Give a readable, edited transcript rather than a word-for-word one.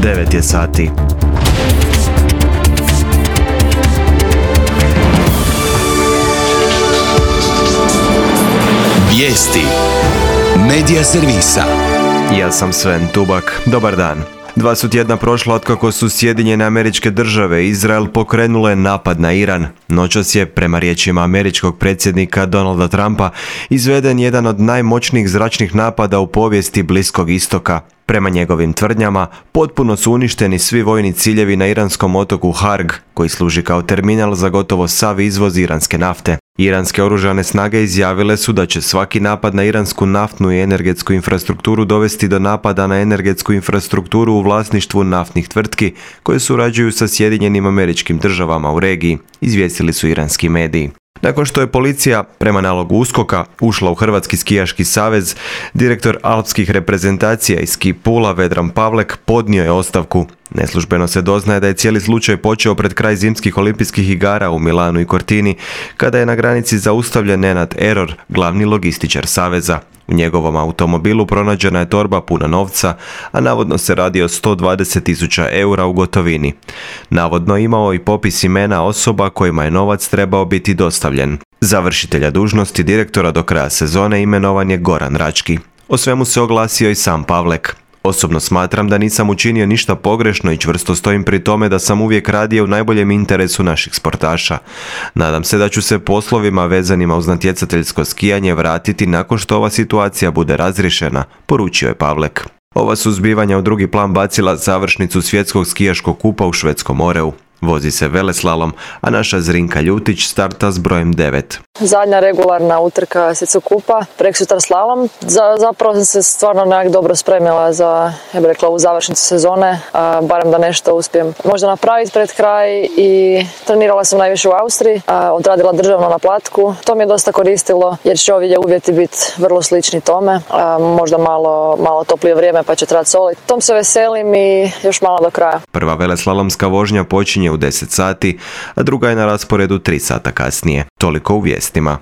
9 je sati. Vijesti Medija servisa. Ja sam Sven Tubak. Dobar dan. 2 su tjedna prošla otkako su Sjedinjene Američke Države i Izrael pokrenule napad na Iran. Noćas je, prema riječima američkog predsjednika Donalda Trumpa, izveden jedan od najmoćnijih zračnih napada u povijesti Bliskog istoka. Prema njegovim tvrdnjama, potpuno su uništeni svi vojni ciljevi na iranskom otoku Harg, koji služi kao terminal za gotovo sav izvoz iranske nafte. Iranske oružane snage izjavile su da će svaki napad na iransku naftnu i energetsku infrastrukturu dovesti do napada na energetsku infrastrukturu u vlasništvu naftnih tvrtki koje surađuju sa Sjedinjenim Američkim Državama u regiji, izvijestili su iranski mediji. Nakon što je policija, prema nalogu USKOK-a, ušla u Hrvatski skijaški savez, direktor alpskih reprezentacija iz ski pula Vedran Pavlek podnio je ostavku. Neslužbeno se doznaje da je cijeli slučaj počeo pred kraj zimskih olimpijskih igara u Milanu i Cortini, kada je na granici zaustavljen Nenad Error, glavni logističar saveza. U njegovom automobilu pronađena je torba puna novca, a navodno se radi o 120.000 eura u gotovini. Navodno imao i popis imena osoba kojima je novac trebao biti dostavljen. Za vršitelja dužnosti direktora do kraja sezone imenovan je Goran Rački. O svemu se oglasio i sam Pavlek. Osobno smatram da nisam učinio ništa pogrešno i čvrsto stojim pri tome da sam uvijek radio u najboljem interesu naših sportaša. Nadam se da ću se poslovima vezanima uz natjecateljsko skijanje vratiti nakon što ova situacija bude razriješena, poručio je Pavlek. Ova su zbivanja u drugi plan bacila završnicu svjetskog skijaškog kupa u Švedskom Oreu. Vozi se veleslalom, a naša Zrinka Ljutić starta s brojem 9. Zadnja regularna utrka svjetskog kupa, preksutra slalom. Zapravo sam se stvarno nekako dobro spremila za, ja bih rekla, u završnicu sezone, barem da nešto uspijem možda napraviti pred kraj, i trenirala sam najviše u Austriji, odradila državno na Platku. To mi je dosta koristilo jer će ovi uvjeti biti vrlo slični tome, možda malo toplije vrijeme pa će trebati soliti. Tom se veselim i još malo do kraja. Prva veleslalomska vožnja počinje u 10 sati, a druga je na rasporedu 3 sata kasnije. Toliko u vijestima.